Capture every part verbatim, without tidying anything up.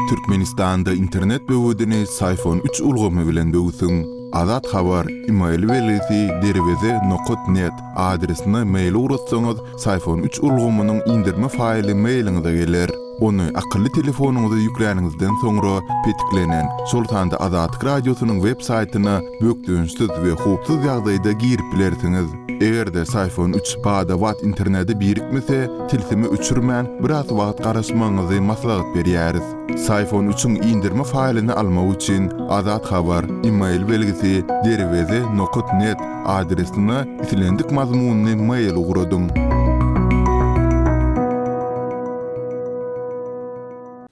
Türkmenistanda internet böwedini Syfon üç ulgamy bilen böwsüň. Azat Habar, email belgisi derweze nokat net adresine mail ugratsaňyz, Syfon üç ulgamynyň indirme faýly mailiňize geler. Ony akylly telefonyňyza ýükläniňizden soňra petiklenen, şol sanda Azatlyk Radiosynyň web saýtyna bökdençsiz we howpsuz ýagdaýda girip bilersiňiz. Eger-de Syfon üç bada-bat internete birikmese, tilsimi öçürmän, biraz wagt garaşmagyňyzy maslahat berýäris. Syfon üçiň indirme faýlyny almak üçin Azat Habar, email belgisi derweze nokat net adresine islendik mazmunyny mail ugradyň.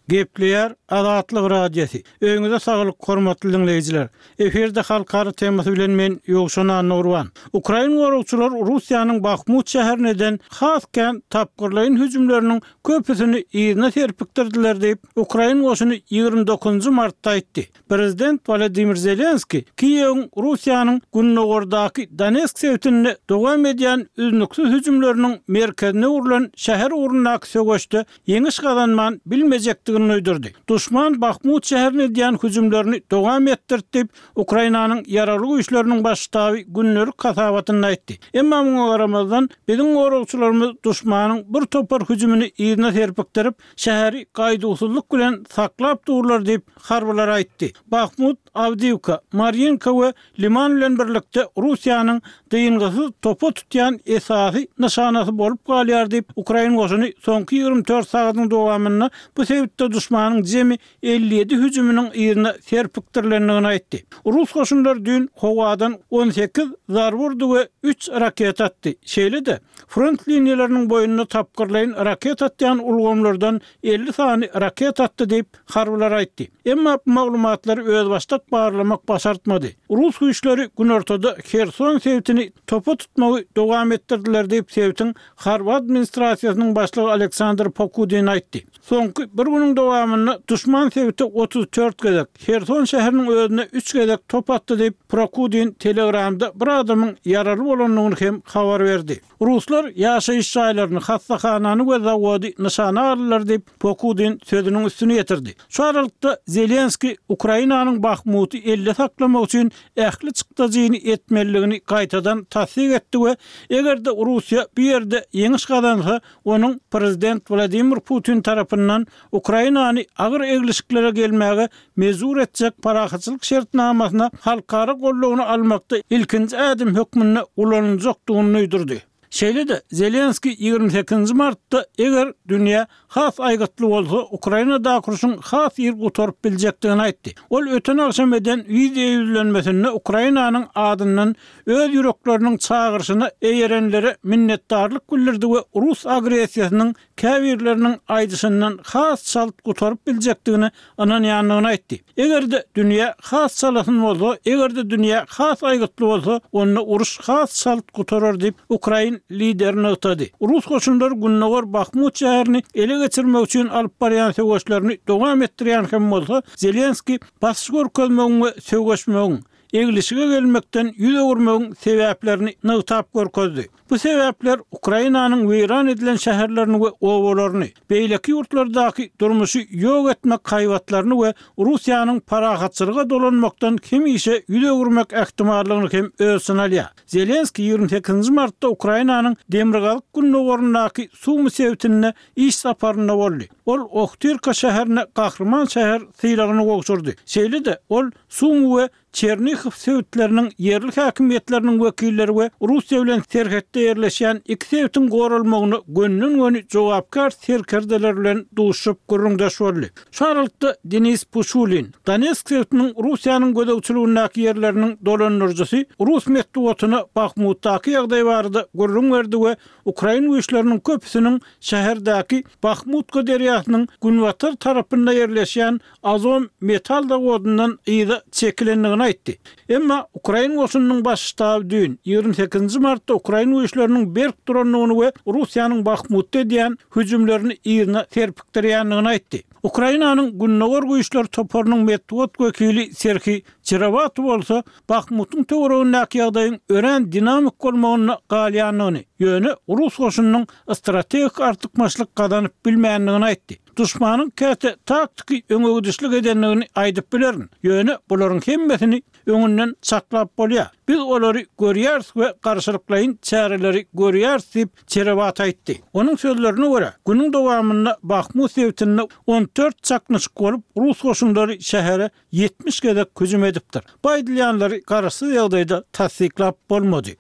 Gepleýär Azatlyk Radiosy. Öýüňize saglyk, hormatly diňleýjiler. Efirde halkara temasy bilen men Ýowşan Annagurban. Ukrain goragçylar Russiýanyň Bahmut şäherine eden has kän tapgyrlaýyn hüjümleriniň köpüsini yzyna serpikdirdiler diýip, Ukrain goşuny ýigrimi dokuzynjy martda aýtdy. Prezident Wladimir Zelenski Kiýewiň Russiýanyň gündogardaky Donetsk sebitinde dowam edýän üznüksiz hüjümleriniň merkezine öwrülen şäher ugrundaky söweşde ýeňiş gazanman bilmejekdigini duýdurdy. Duşman Bahmut şäherine edýän hüjümlerini dowam etdirdi diýip, Ukrainanyň ýaragly güýçleriniň baş ştaby gündelik hasabatynda aýtdy. Emma muňa garamazdan, biziň goragçylarymyz duşmanyň bir topar hüjümini yzyna serpikdirip, şäheri gaýduwsyzlyk bilen saklap durlar diýip, harbylar aýtdy. Bahmut, Awdiýewka, Marýinka we Liman bilen birlikde Russiýanyň dyngysyz topa tutýan esasy nyşanasy bolup galýar diýip, ukrain goşuny soňky ýigrimi dört sagadyň dowamynda bu sebitde duşmanyň jemi elli ýedi hüjüminiň yzyna serpikdirilendigini aýtdy. Rus goşunlary düýn howadan on sekiz zarba urdy we üç raketa atdy. Şeýle-de, front liniýalarynyň boýunda tapgyrlaýyn raketa atýan ulgamlardan elli sany raketa atdy diýip, harbylar aýtdy. Emma bu maglumatlary özbaşdak barlamak başartmady. Rus güýçleri günortada Herson sebitini topa tutmagy dowam etdirdiler diýip, sebitiň harby administrasiýasynyň başlygy Aleksandr Pokudin aýtdy. Soňky bir günüň dowamynda duşman sebite otuz dört gezek, Herson şäheriniň özüne üç gezek top atdy diýip, Prokudin Telegramda bir adamyň ýaraly bolandygyny hem habar berdi. Ruslar ýaşaýyş jaýlaryny, hassahanany we zawody nyşana aldylar diýip, Pokudin sözüniň üstüni ýetirdi. Şu aralykda, Zelenskiý Ukrainanyň Bahmuty elde saklamak üçin ähli çykdajyny etmelidigini gaýtadan tassyk etdi we eger-de Russiýa bu ýerde ýeňiş gazansa, onuň prezident Wladimir Putin tarapyndan Ukrainany agyr eglişiklere gelmäge mejbur etjek parahatçylyk şertnamasyna halkara goldawyny almakda ilkinji ädim hökmünde ulanyljakdygyny duýdurdy. Şeýle-de, Zelenskiý ýigrimi sekizinji martda eger dünýä has aýgytly bolsa, Ukrainadaky urşuň has ir gutaryp biljekdigini aýtdy. Ol öten agşam eden wideo ýüzlenmesinde Ukrainanyň adyndan öz ýürekleriniň çagyryşyna eýerenlere minnetdarlyk bildirdi we rus agressiýasynyň käbirleriniň aýdyşyndan has çalt gutaryp biljekdigine ynanýandygyny aýtdy. Eger-de dünýä has çalasyn bolsa, eger-de dünýä has aýgytly bolsa, onda uruş has çalt gutarar diýip, ukrain lideri nygtady. Rus goşunlary gündogar Bahmut şäherini ele geçirmek üçin alyp barýan söweşlerini dowam etdirýän hem bolsa, Zelenskiý basyş görkezmegiň we söweşmegiň, eglişige gelmekden ýüz öwürmegiň sebäplerini nygtap görkezdi. Bu sebäpler Ukrainanyň weýran edilen şäherlerini we obalaryny, beýleki ýurtlardaky durmuşy ýok etmek haýbatlaryny we Russiýanyň parahatçylyga dolanmakdan hemişe ýüz öwürmek ähtimallygyny hem öz içine alýar. Zelenskiý ýigrimi sekizinji martda Ukrainanyň demirgazyk-gündogaryndaky Sumy sebitinde iş saparynda boldy. Ol Ohtirka şäherine Gahryman şäher sylagyny gowşurdy. Şeýle-de, ol Sumy we Çernihow sebitleriniň ýerli häkimiýetleriniň wekilleri we Russiýa bilen serhetde ýerleşýän iki sebitiň goralmagyna gönden-göni jogapkär serkerdeler bilen duşuşyp gürrüňdeş boldy. Şu aralykda Denis Puşulin, Donetsk sebitiniň Russiýanyň gözegçiligindäki ýerleriniň dolandyryjysy rus metbugatyna Bahmutdaky ýagdaý barada gürrüň berdi we ukrain güýçleriniň köpüsiniň şäherdäki Bahmutka derýasynyň günbatar tarapynda ýerleşýän Azom metal zawodyndan yza çekilendigini aýtdy. Emma ukrain goşunynyň baş ştaby düýn, ýigrimi sekizinji martda ukrain güýçleriniň berk durandygyny we Russiýanyň Bahmutda edýän hüjümlerini yzyna serpikdirýändigini aýtdy. Ukrainanyň Gündogar güýçler toparynyň metbugat wekili Serhiý Çerewaty bolsa Bahmutyň töweregindäki ýagdaýyň örän dinamik bolmagynda galýandygyny, ýöne rus goşunynyň strategik artykmaçlyk gazanyp bilmändigini aýtdy. Duşmanyň käte taktiki öňegidişlik edendigini aýdyp bilerin. Ýöne bularyň hemmesini öňünden çaklap bolýar. Biz olary görýäris we garşylyklaýyn çäreleri görýäris diýip Çerewaty aýtdy. Onuň sözlerine görä, günüň dowamynda Bahmut sebitinde on dört çaknyşyk bolup, rus goşunlary şähere ýetmiş gezek hüjüm edipdir. Bu aýdylýanlary garaşsyz ýagdaýda tassyklap bolmady.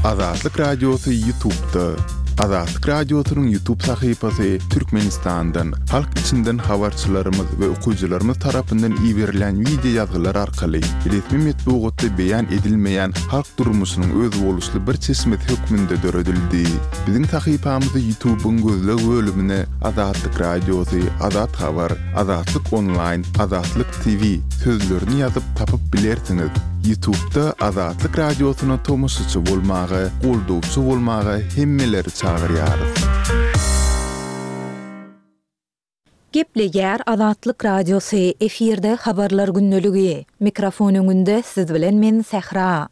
Azatlyk Radiosy YouTube'da. Azatlyk Radiosynyň YouTube sahypasy Türkmenistandan, halk içinden habarçylarymyz we okyjylarymyz tarapyndan iberilen wideo ýazgylar arkaly resmi metbugatda beýan edilmeýän halk durmuşynyň özboluşly bir çeşmesi hökmünde döredildi. Biziň sahypamyzy YouTube'yň gözleg bölümine Azatlyk Radiosy, Azat Habar, Azatlyk Online, Azatlyk T V sözlerini ýazyp tapyp bilersiňiz. YouTube'da Azatlyk Radiosyna tomaşaçy bolmaga, goldawçy bolmaga hemmeleri çagyrýarys. Gepleýär Azatlyk Radiosy, efirde habarlar gündeligi. Mikrofon öňünde siz bilen men Sähra.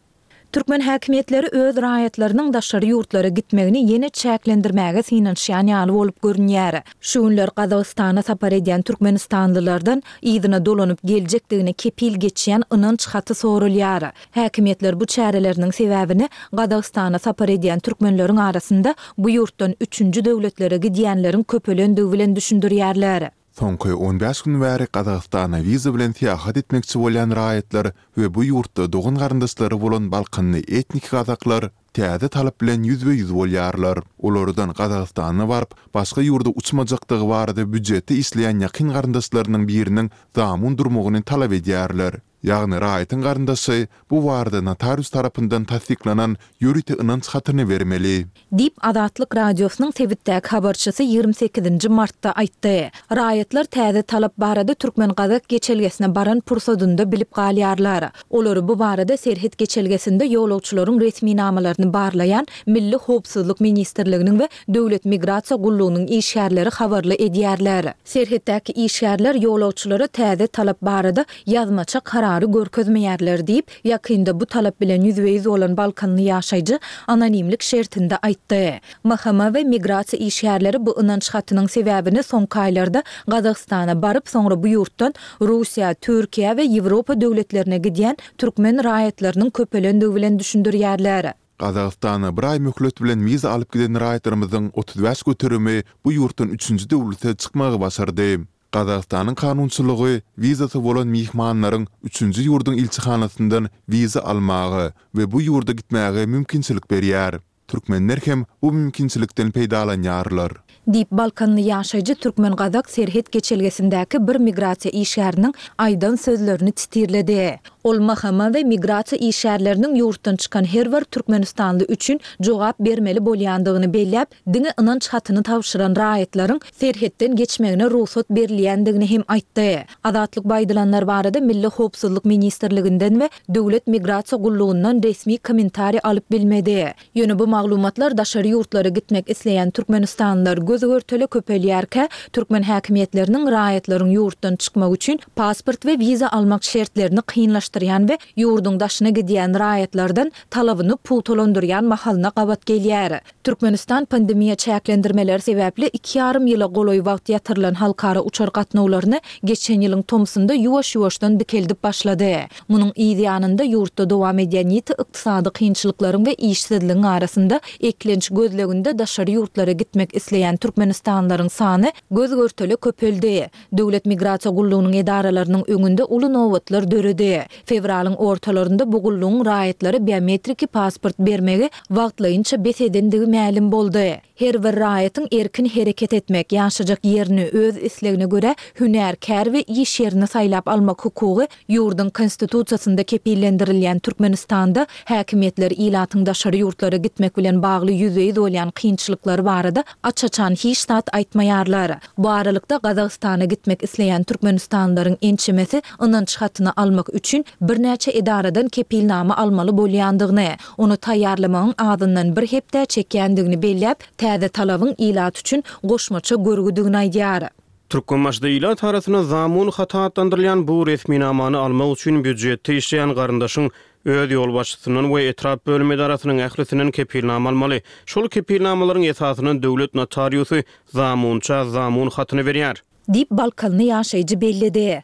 Türkmen häkimiýetleri öz raýatlarynyň daşary ýurtlara gitmegini ýene çäklendirmäge synanyşýan ýaly bolup görünýär. Şu günler Gazagystana sapar edýän türkmenistanlylardan yzyna dolanyp geljekdigine kepil geçýän ynanç haty sorulýar. Häkimiýetler bu çäreleriniň sebäbini Gazagystana sapar edýän türkmenleriň arasynda bu ýurtdan üçünji döwletlere gidýänleriň köpelendigi bilen düşündirýärler. Soňky on bäş gün bäri Gazagystana wiza bilen syýahat etmekçi bolýan raýatlar we bu ýurtda dogan garyndaşlary bolan Balkanly etnik gazaklar täze talap bilen ýüzbe-ýüz bolýarlar. Olardan Gazagystana baryp, başga ýurda uçmajakdygy barada býujetde işleýän ýakyn garyndaşlarynyň biriniň zamun durmagyny talap edýärler. Ýagny raýatyň garyndaşy bu barada notarius tarapyndan tassyklanan ýörite ynanç hatyny bermeli. Diýip Azatlyk Radiosynyň sebitdäki habarçysy ýigrimi sekizinji martda aýtdy. Raýatlar täze talap barada Türkmen-Gazak geçelgesine baran pursadynda bilip galýarlar. Olary bu barada serhet geçelgesinde ýolagçylaryň resminamalaryny barlaýan Milli Howpsuzlyk Ministrliginiň we Döwlet Migrasiýa Gullugynyň işgärleri habarly edýärler. Serhetdäki işgärler ýolagçylara täze talap barada ýazmaça karary görkezmeýärler diýip, ýakynda bu talap bilen ýüzbe-ýüz bolan Balkanly ýaşaýjy anonimlik şertinde aýtdy. M H M we migrasiýa işgärleri bu ynanç hatynyň sebäbini soňky aýlarda Gazagystana baryp, soňra bu ýurtdan Russiýa, Türkiýe we Ýewropa döwletlerine gidýän türkmen raýatlarynyň köpelendigi bilen düşündirýärler. Gazagystana bir aý möhlet bilen wiza alyp giden raýatlarymyzyň otuz bäş göterimi bu ýurtdan üçünji döwlete çykmagy başardy. Gazagystanyň kanunçylygy wizasy bolan myhmanlaryň üçünji ýurduň ilçihanasyndan wiza almaga we bu ýurda gitmäge mümkinçilik berýär. Türkmenler hem bu mümkinçilikden peýdalanýarlar. Diýip Balkanly ýaşaýjy Türkmen-Gazak serhet geçelgesindäki bir migrasiýa işgäriniň aýdan sözlerini titirledi. Ol M H M we migrasiýa işgärleriniň ýurtdan çykan her bir türkmenistanly üçin jogap bermeli bolýandygyny belläp, diňe ynanç hatyny tabşyran raýatlaryň serhetden geçmegine rugsat berilýändigini hem aýtdy. Azatlyk baýdylanlar barada Milli Howpsuzlyk Ministrliginden we Döwlet Migrasiýa Gullugyndan resmi kommentariý alyp bilmedi. Ýöne bu maglumatlar daşary ýurtlara gitmek isleýän türkmenistanlylar göz görtele köpelýärkä, türkmen häkimiýetleriniň raýatlaryň ýurtdan çykmak üçin pasport we wiza almak şertlerini kynlaşdyrýan we ýurduň daşyna gidýän raýatlardan talabyny pugtalandyrýan mahalyna gabat gelýär. Türkmenistan pandemiýa çäklendirmeleri sebäpli iki ýarym ýyla golaý wagt ýatyrylan halkara uçar gatnawlaryny geçen ýylyň tomsunda ýuwaş-ýuwaşdan dikeldip başlady. Munuň yz ýanynda ýurtda dowam edýän ýiti ykdysady kynçylyklaryň we işsizligiň arasynda eklenç gözleginde daşary ýurtlara gitmek isleýän türkmenistanlylaryň sany göz görtele köpeldi. Döwlet Migrasiýa Gullugynyň edaralarynyň öňünde uly nobatlar döredi. Fewralyň ortalarynda bu gullugyň raýatlara biometriki pasport bermegi wagtlaýynça bes edendigi mälim boldy. Her bir raýatyň erkin hereket etmek, ýaşajak ýerini öz islegine görä hünär, kär we iş ýerini saýlap almak hukugy ýurduň konstitusiýasynda kepillendirilýän Türkmenistanda häkimiýetler ilatyň daşary ýurtlara gitmek bilen bagly ýüzbe-ýüz bolýan kynçylyklary barada aç-açan hiç zat aýtmaýarlar. Bu aralykda Gazagystana gitmek isleýän türkmenistanlylaryň ençemesi ynanç hatyny almak üçin birnäçe edaradan kepilnama almaly bolýandygyny, ony taýýarlamagyň azyndan bir hepde çekýändigini belläp, täze talabyň ilat üçin goşmaça görgüdigini aýdýar. Türkmenbaşyda ilat arasynda zamun haty atlandyrylýan bu resminamany almak üçin býujetde işleýän garyndaşyň öz ýolbaşçysyndan we etrap bölüm edarasynyň ählisinden kepilnama almaly. Şol kepilnamalaryň esasynda döwlet notariusy zamunça zamun hatyny berýär. Diýip, balkanly ýaşaýjy belledi.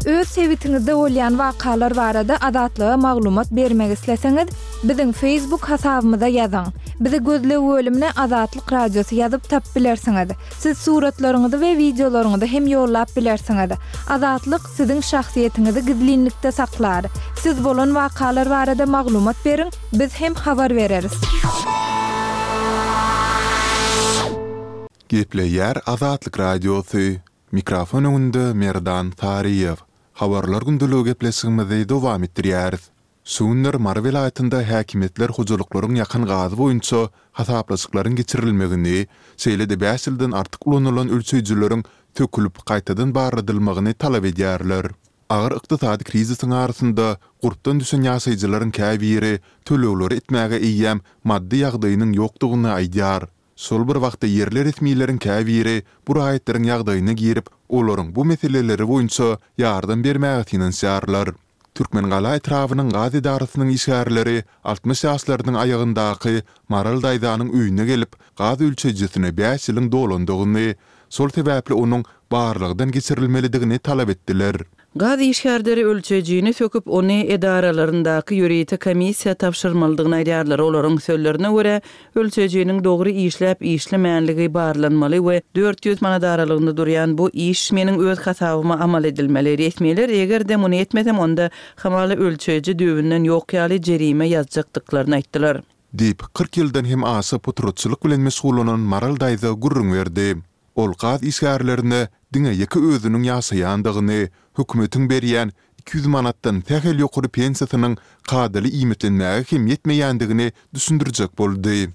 Öz sebitiňizde bolýan wakalar barada Azatlyga maglumat bermek isleseňiz, biziň Facebook hasabymyza ýazyň. Bizi gözleg bölümine Azatlyk Radiosy ýazyp tapyp bilersiňiz. Siz suratlaryňyzy we wideolaryňyzy hem ýollap bilersiňiz. Azatlyk siziň şahsyýetiňizi gizlinlikde saklar. Siz bolan wakalar barada maglumat beriň, biz hem habar bereris. Gepleýär Azatlyk Radiosy, Mikrofon öňünde Merdan Saryýew. Habarlar gündeligi gepleşigimizi dowam etdirýäris. Şu günler Mary welaýatynda häkimiýetler hojalyklaryň ýakan gazy boýunça hasaplaşyklaryň geçirilmegini, şeýle-de bäş ýyldan artyk ulanylan ölçeýjileriň sökülip, gaýtadan barladylmagyny talap edýärler. Agyr ykdysady krizisiň arasynda gurpdan düşen ýaşaýjylaryň käbiri tölegleri etmäge eýýäm maddy ýagdaýynyň ýokdugyny aýdýar. Şol bir wagtda ýerli resmileriň käbiri bu raýatlaryň ýagdaýyna girip, olaryň bu meseleleri boýunça ýardam bermäge synanyşýarlar. Türkmengala etrabynyň gaz edarasynyň işgärleri altmyş ýaşlarynyň aýagyndaky Maral daýzanyň öýüne gelip, gaz ölçeýjisine bäş ýylyň dolandygyny, şol sebäpli onuň barlagdan geçirilmelidigini talap etdiler. Gaz işgärleri ölçeýjini söküp, ony edaralaryndaky ýörite komissiýa tabşyrmalydygyny aýdýarlar. Olaryň sözlerine görä, ölçeýjiniň dogry işläp-işlemänligi barlanmaly we dört ýüz manat aralygynda durýan bu iş meniň öz hasabyma amal edilmeli. Resmiler eger-de muny etmesem, onda hamala ölçeýji düýbünden ýok ýaly jerime ýazjakdyklaryny aýtdylar. Diýip, kyrk ýyldan hem aşa potratçylyk bilen meşgullanan Maral daýza gürrüň berdi. Ol gaz işgärlerine diňe ýeke özüniň ýaşaýandygyny, hökümetiň berýän iki ýüz manatdan sähel ýokary pensiýasynyň kadaly iýmitlenmäge hem ýetmeýändigini düşündirjek boldy.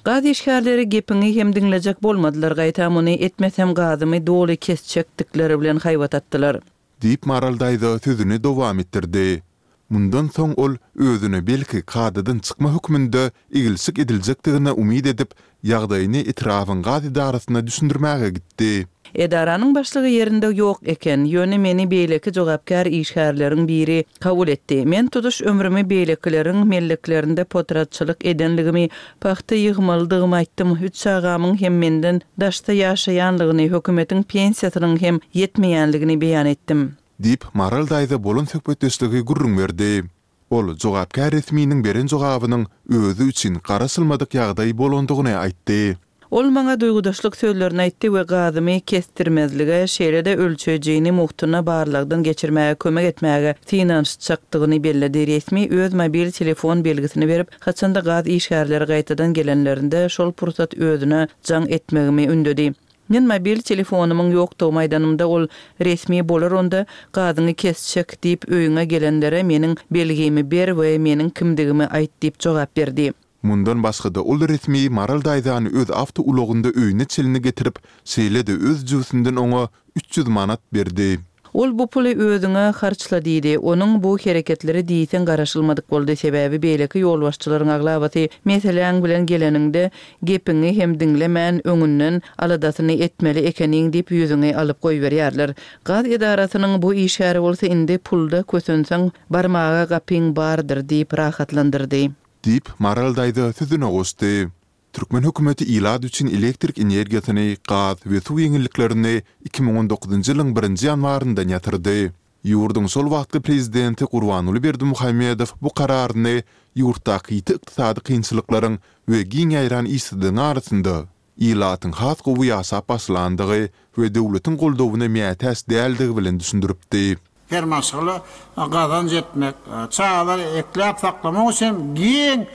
Gaz işgärleri gepiňi hem diňlejek bolmadylar, gaýta muny etmesem gazymy doly kesjekdikleri bilen haýbat atdylar. Diýip, Maral daýza sözüni dowam etdirdi. Mundan soň ol özüne belki kadadan çykma hökmünde eglşik ediljekdigine umyt edip, ýagdaýyny etrabyň gaz edarasyna düşündirmäge gitdi. Edaranyň başlygy ýerinde ýok eken, ýöne meni beýleki jogapkär işgärleriň biri kabul etdi. Men tutuş ömrümi beýlekileriň melleklerinde potratçylyk edenligimi, pagta ýygmalydygymy aýtdym, üç çagamyň hem menden daşda ýaşaýanlygyny, hökümetiň pensiýasynyň hem ýetmeýänligini beýan etdim. Diýip, Maral daýza bolan söhbetdeşligi gürrüň berdi. Ol jogapkär resminiň beren jogabynyň özi üçin garaşylmadyk ýagdaý bolandygyny aýtdy. Ol maňa duýgudaşlyk sözlerini aýtdy we gazymy kesdirmezlige, şeýle-de ölçeýjini mugtuna barlagdan geçirmäge kömek etmäge synanyşjakdygyny belledi. Resmi öz mobil telefon belgisini berip, haçanda gaz işgärleri gaýtadan gelenlerinde şol pursat özüne jaň etmegimi ündedi. Men mobil telefonymyň ýokdugymy aýdanymda, ol, Resmi bolar onda, gazyňy kesjek diýip öýüňe gelenlere meniň belgimi ber we meniň kimdigimi aýt diýip jogap berdi. Mundan başga-da ol resmi Maral daýzany öz awtoulagynda öýüne çenli getirip, şeýle-de öz jübüsinden oňa üç ýüz manat berdi. Ol bu puly özüňe harçla diýdi. Onuň bu hereketleri diýseň garaşylmadyk boldy, sebäbi beýleki ýolbaşçylaryň aglabasy meseläň bilen geleniňde gepiňi hem diňlemän öňünden aladasyny etmeli ekeniň diýip ýüzüňi alyp goýberýärler. Gaz edarasynyň bu işgäri bolsa indi pulda kösenseň barmaga gapyň bardyr diýip rahatlandyrdy. Diýip, Maral daýza sözüne goşdy. Türkmen hökümeti ilat üçin elektrik energiýasyny, gaz we suw ýeňilliklerini iki müň on dokuzynjy ýylyň birinji ýanwaryndan ýatyrdy. Ýurduň şol wagtky prezidenti Gurbanguly Berdimuhamedow bu kararyny ýurtdaky ýiti ykdysady kynçylyklaryň we giň ýaýran işsizligiň arasynda ilatyň has gowy ýaşap başlandygy we döwletiň goldawyna mätäç däldigi bilen düşündiripdi. Her maşgala gazanç etmek, çagalary ekläp-saklamak üçin giň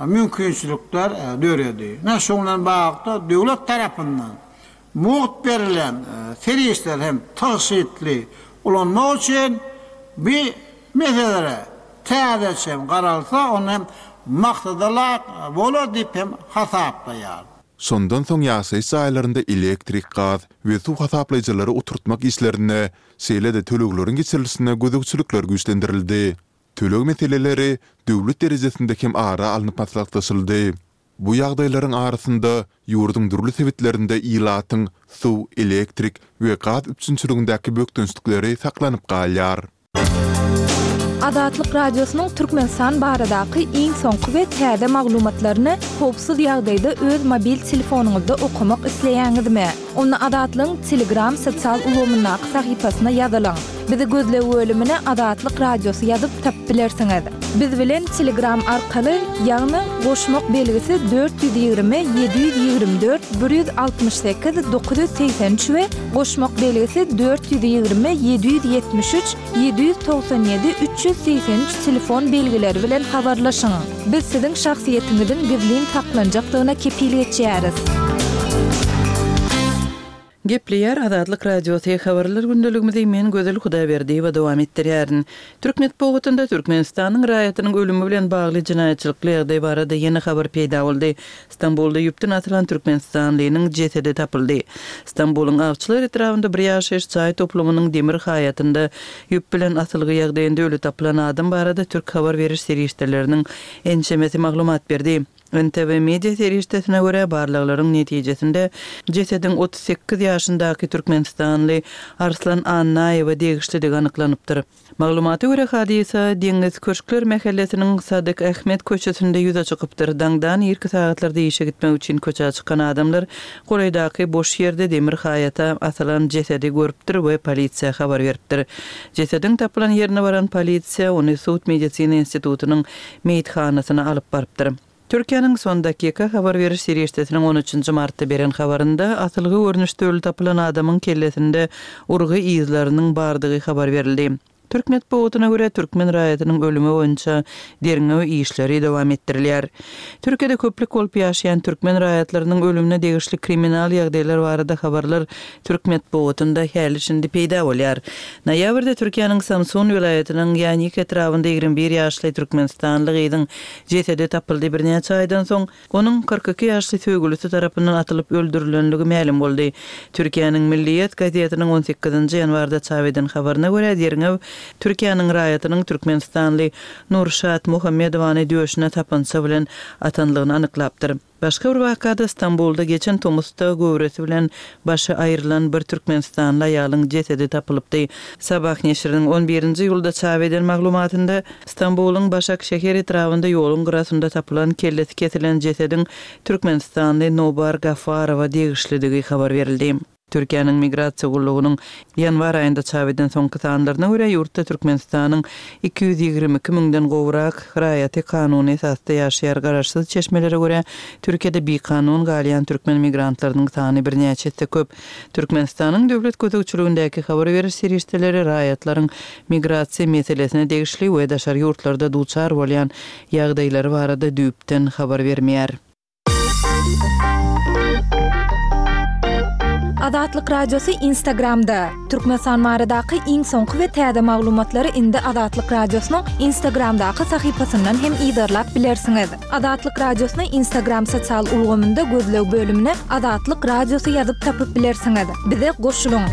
mümkinçilikler döredi. Ine, şunuň bilen baglylykda döwlet tarapyndan mugt berilýän serişdeleri hem tygşytly ulanmak üçin bu meselelere täzeçe hem garalsa, onda hem maksada laýyk bolar diýip hem hasaplaýaryn. Şondan soň ýaşaýyş jaýlarynda elektrik, gaz we suw hasaplaýjylary oturtmak işlerine, şeýle-de tölegleriň geçirilişine gözegçilikler güýçlendirildi. Töleg meseleleri döwlet derejesinde hem ara alnyp maslahatlaşyldy. Bu ýagdaýlaryň arasynda, ýurduň dürli sebitlerinde ilatyň suw, elektrik we gaz üpjünçiligindäki bökdençlikleri saklanyp galýar. Azatlyk Radiosynyň Türkmenistan baradaky iň soňky we täze maglumatlaryny howpsuz ýagdaýda öz mobil telefonyňyzda okamak isleýäňizmi? Onda Azatlygyň Telegram sosial ulgamyndaky sahypasyna ýazylyň. Bizi gözleg bölümine Azatlyk Radiosy ýazyp tapyp bilersiňiz. Biz bilen Telegram arkaly, ýagny goşmak belgisi dört ýüz ýigrimi ýedi ýüz ýigrimi dört bir ýüz altmyş sekiz dokuz ýüz segsen üç we goşmak belgisi dört ýüz ýigrimi ýedi ýüz ýetmiş üç ýedi ýüz togsan ýedi üç ýüz segsen üç telefon belgileri bilen habarlaşyň. Biz siziň şahsyýetiňiziň gizlin saklanjakdygyna kepil geçýäris. Gepleýär Azatlyk Radiosy, Habarlar gündeligimizi men Gözel Hudaýberdiýewa dowam etdirýärin. Türk metbugatynda Türkmenistanyň raýatynyň ölümi bilen bagly jenaýatçylykly ýagdaý barada ýene habar peýda boldy. Stambulda ýüpden asylan türkmenistanlynyň jesedi tapyldy. Stambulyň Awçylar etrabynda bir ýaşaýyş jaý toplumynyň demir haýatynda ýüp bilen asylgy ýagdaýynda öli tapylan adam barada türk habar beriş serişdeleriniň ençemesi maglumat berdi. N T V media serişdesine görä, barlaglaryň netijesinde jesediň otuz sekiz ýaşyndaky türkmenistanly Arslan Annaýewe degişlidigi anyklanypdyr. Maglumata görä, hadysa Deňiz köşkler mähellesiniň Sadyk Ahmet köçesinde ýüze çykypdyr. Daňdan irki sagatlarda işe gitmek üçin köçä çykan adamlar golaýdaky boş ýerde demir haýata asylan jesedi görüpdir we polisiýa habar beripdir. Jesediň tapylan ýerine baran polisiýa ony sud-medisina institutynyň meýithanasyna alyp barypdyr. Türkiýäniň Son Dakika habar beriş serişdesiniň on üçünji martda beren habarynda asylgy görnüşde öli tapylan adamyň kellesinde urgy yzlarynyň bardygy habar berildi. Türk metbugatyna görä, türkmen raýatynyň ölümi boýunça derňew işleri dowam etdirilýär. Türkiýede köplük bolup ýaşaýan türkmen raýatlarynyň ölümine degişli kriminal ýagdaýlar barada habarlar türk metbugatynda häli-şindi peýda bolýar. Noýabrda Türkiýäniň Samsun welaýatynyň Ýanik etrabynda ýigrimi bir ýaşly türkmenistanly gyzyň jesedi tapyldy. Birnäçe aýdan soň onuň kyrk iki ýaşly söýgülisi tarapyndan atylyp öldürilenligi mälim boldy. Türkiýäniň Milliýet gazetiniň on sekizinji ýanwarda çap eden habaryna görä, derňew Türkiýäniň raýatynyň türkmenistanly Nurşat Muhammedowany döşüne tapança bilen atanlygyny anyklapdyr. Başga bir wakada Stambulda geçen tomusda göwresi bilen başy aýrylan bir türkmenistanly aýalyň jesedi tapylypdy. Sabah neşiriniň on birinji iýulda çap eden maglumatynda Stambulyň Başakşehir etrabynda ýoluň gyrasynda tapylan kellesi kesilen jesediň türkmenistanly Nobar Gafarowa degişlidigi habar berildi. Türkiýäniň Migrasiýa gullugynyň ýanwar aýynda çap eden soňky sanlaryna görä, ýurtda Türkmenistanyň iki ýüz ýigrimi iki müňden gowrak raýaty kanuny esasda ýaşaýar. Garaşsyz çeşmelere görä, Türkiýede bikanun galýan türkmen migrantlarynyň sany birnäçe esse köp. Türkmenistanyň döwlet gözegçiligindäki habar beriş serişdeleri raýatlaryň migrasiýa meselesine degişli we daşary ýurtlarda duçar bolýan ýagdaýlary barada düýpden habar bermeýär. Azatlyk Radiosy Instagramda. Türkmenistan baradaky iň soňky we täze maglumatlary indi Azatlyk Radiosynyň Instagramdaky sahypasyndan hem yzarlap bilersiňiz. Azatlyk Radiosyny Instagram sosial ulgamynda gözleg bölümine Azatlyk Radiosy ýazyp tapyp bilersiňiz. Bize goşulyň.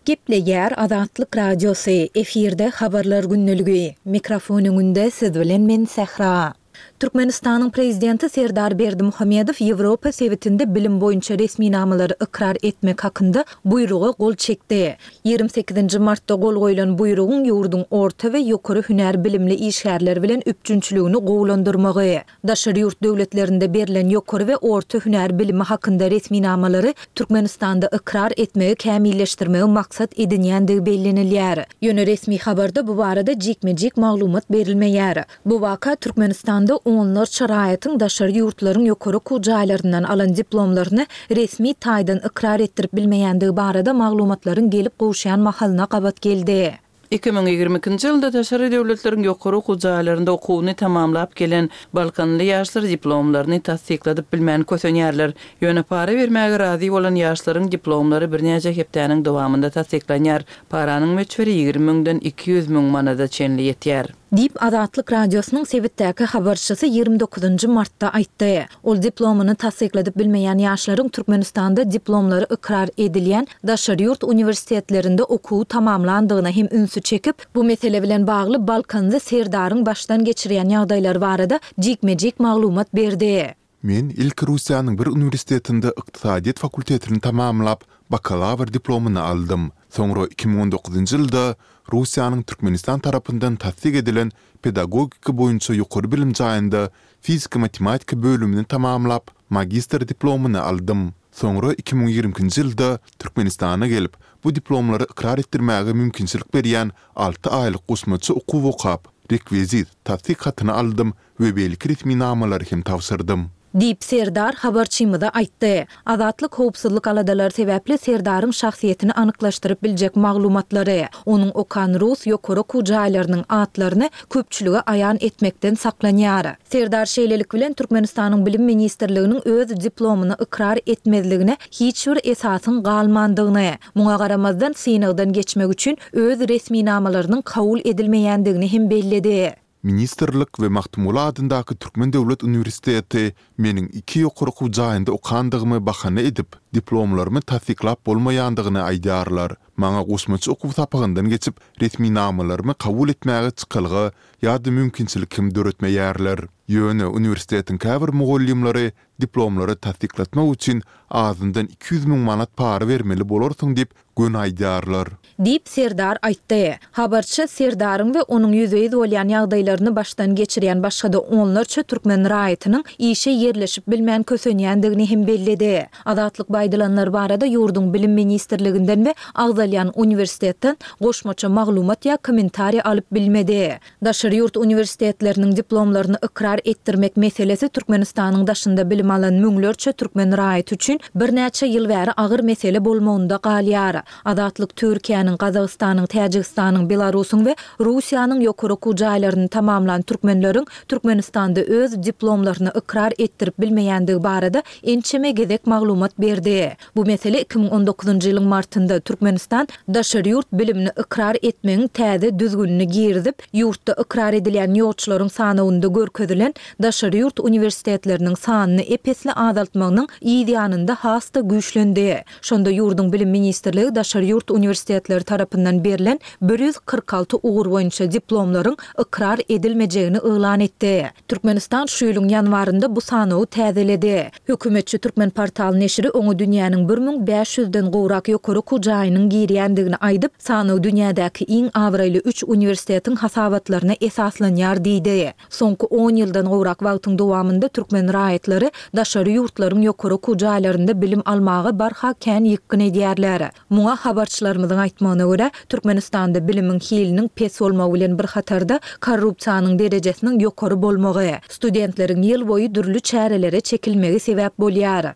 Gepleýär Azatlyk Radiosy, efirde habarlar gündeligi. Mikrofon öňünde siz bilen men Sähra. Türkmenistanyň Prezidenti Serdar Berdimuhamedow Ýewropa sebitinde bilim boýunça resminamalary ykrar etmek hakynda buýruga gol çekdi. Ýigrimi sekizinji martda gol goýlan buýrugyň ýurduň orta we ýokary hünär bilimli işgärler bilen üpjünçiligini gowulandyrmagy, daşary ýurt döwletlerinde berlen ýokary we orta hünär bilimi hakynda resminamalary Türkmenistanda ykrar etmegi kämilleşdirmegi maksat edinýändigi bellenilýär. Ýöne resmi habarda bu barada jikme-jik maglumat berilmeýär. Bu waka Türkmenistanda onlarça raýatyň daşary ýurtlaryň ýokary okuw jaýlaryndan alan diplomlaryny resmi taýdan ykrar etdirip bilmeýändigi barada maglumatlaryň gelip gowuşýan mahalyna gabat geldi. Iki müň ýigrimi ikinji ýylda daşary döwletleriň ýokary okuw jaýlarynda okuwyny tamamlap gelen balkanly ýaşlar diplomlaryny tassykladyp bilmän kösenýärler. Ýöne para bermäge razy bolan ýaşlaryň diplomlary birnäçe hepdäniň dowamynda tassyklanýar. Paranyň möçberi ýigrimi müňden iki ýüz müň manada çenli ýetýär. Diýip, Azatlyk Radiosynyň sebitdäki habarçysy ýigrimi dokuzynjy martda aýtdy. Ol diplomyny tassykladyp bilmeýän ýaşlaryň Türkmenistanda diplomlary ykrar edilýän daşary ýurt uniwersitetlerinde okuwy tamamlandygyna hem ünsi çekip, bu mesele bilen bagly balkanly Serdaryň başdan geçirýän ýagdaýlary barada jikme-jik maglumat berdi. Men ilki Russiýanyň bir uniwersitetinde ykdysadyýet fakultetini tamamlap, bakalawr diplomyny aldym. Soňra iki müň on dokuzynjy ýylda Russiýanyň Türkmenistan tarapyndan tassyk edilen pedagogika boýunça ýokary bilim jaýynda fizika-matematika bölümini tamamlap, magistr diplomyny aldym. Soňra iki müň ýigrimi ikinji ýylda Türkmenistana gelip, bu diplomlary ykrar etdirmäge mümkinçilik berýän alty aýlyk goşmaça okuw okap, rekwizit, tassyk hatyny aldym we beýleki resminamalary hem tabşyrdym. Diýip, Serdar habarçymyza aýtdy. Azatlyk howpsuzlyk aladalary sebäpli Serdaryň şahsyýetini anyklaşdyryp biljek maglumatlary, onuň okan rus ýokary okuw jaýlarynyň atlaryny köpçülige aýan etmekden saklanýar. Serdar şeýlelik bilen Türkmenistanyň Bilim ministrliginiň öz diplomyny ykrar etmezligine hiç bir esasyň galmandygyny, muňa garamazdan synagdan geçmek üçin öz resminamalarynyň kabul edilmeýändigini hem belledi. Ministrlik we Magtymguly adyndaky Türkmen döwlet uniwersiteti meniň iki ýokary okuw jaýynda okandygymy bahana edip, diplomlarymy tassyklap bolmaýandygyny aýdýarlar. Maňa goşmaça okuw sapagyndan geçip, resminamalarymy kabul etmäge çykalga ýa-da mümkinçilik hem döretmeýärler. Ýöne uniwersitetiň käbir mugallymlary diplomlary tassyklatmak üçin azyndan iki ýüz müň manat para bermeli bolarsyň diýip, göni aýdýarlar. Diýip, Serdar aýtdy. Habarçy Serdaryň we onuň ýüzbe-ýüz bolýan ýagdaýlaryny başdan geçirýän başga-da onlarça türkmen raýatynyň işe ýerleşip bilmän kösenýändigini hem belledi. Azatlyk bu aýdylanlar barada ýurduň Bilim ministrliginden we agzalýan uniwersitetden goşmaça maglumat ýa kommentariý alyp bilmedi. Daşary ýurt uniwersitetleriniň diplomlaryny ykrar etdirmek meselesi Türkmenistanyň daşynda bilim alan müňlerçe türkmen raýaty üçin birnäçe ýyl bäri agyr mesele bolmagynda galýar. Azatlyk Türkiýäniň, Gazagystanyň, Täjigistanyň, Belarusyň we Russiýanyň ýokary okuw jaýlaryny tamamlan türkmenleriň Türkmenistanda öz diplomlaryny ykrar etdirip bilmeýändigi barada ençeme gezek maglumat berdi. Bu mesele iki müň on dokuzynjy ýylyň martynda Türkmenistan daşary ýurt bilimini ykrar etmegiň täze düzgünini girizip, ýurtda ykrar edilýän ýolçularyň sanawynda görkezilen daşary ýurt uniwersitetleriniň sanyny ep-esli azaltmagynyň yz ýanynda has-da güýçlendi. Şonda ýurduň Bilim ministrligi daşary ýurt uniwersitetleri tarapyndan berlen bir ýüz kyrk alty ugur boýunça diplomlaryň ykrar edilmejegini yglan etdi. Türkmenistan şu ýylyň ýanwarynda bu sanawy täzeledi. Hökümetçi Türkmenportal neşiri oňa dünýäniň bir müň bäş ýüzden gowrak ýokary okuw jaýynyň girýändigini aýdyp, sanaw dünýädäki iň abraýly üç uniwersitetiň hasabatlaryna esaslanýar diýdi. Soňky on ýyldan gowrak wagtyň dowamynda türkmen raýatlary daşary ýurtlaryň ýokary okuw jaýlarynda bilim almaga barha kän ýykgyn edýärler. Muňa habarçylarymyzyň aýtmagyna görä, Türkmenistanda bilimiň hiliniň pes bolmagy bilen bir hatarda korrupsiýanyň derejesiniň ýokary bolmagy, studentleriň ýyl boýy dürli çärelere çekilmegi sebäp bolýar.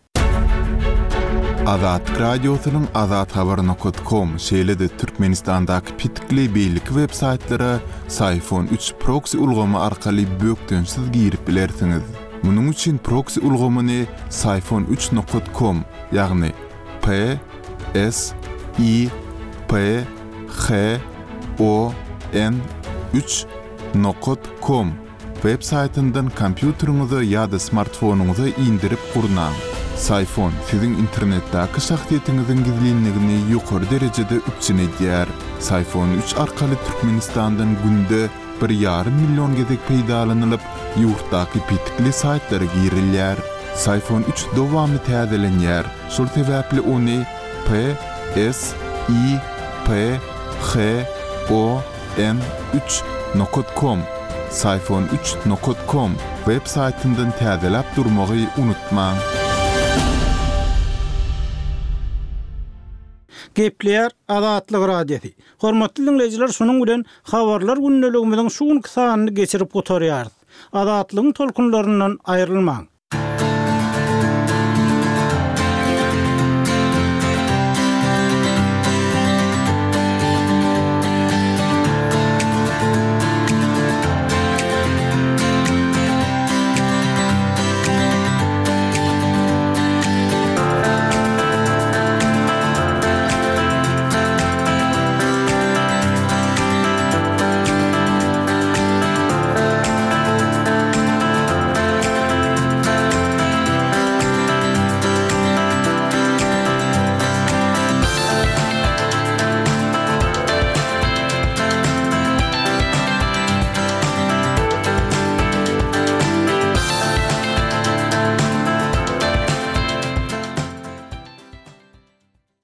Azatlyk Radiosynyň Azathabar nokat kom, şeýle-de Türkmenistandaky petikli beýleki web saýtlara Syfon üç proksi ulgamy arkaly bökdençsiz girip bilersiňiz. Munuň üçin proksi ulgamyny Syfon üç nokat kom, ýagny P S I P H O N üç nokat kom web saýtyndan kompýuteriňize ýa-da smartfonyňyza indirip gurnaň. Syfon siziň internetdäki şahsyýetiňiziň gizlinligini ýokary derejede üpjün edýär. Syfon üç arkaly Türkmenistandan günde bir ýarym million gezek peýdalanylyp, ýurtdaky petikli saýtlara girilýär. Syfon üç dowamly täzelenýär. Şol sebäpli ony P S I P H O N üç nokat kom, Syfon üç nokat kom web saýtyndan täzeläp durmagy unutmaň. Gepleýär Azatlyk Radiosy. Hormatly dinleýjiler, şunuň bilen habarlar gündeligimiziň şu günki sanyny geçirip gutarýarys. Azatlygyň tolkunlaryndan aýrylmaň.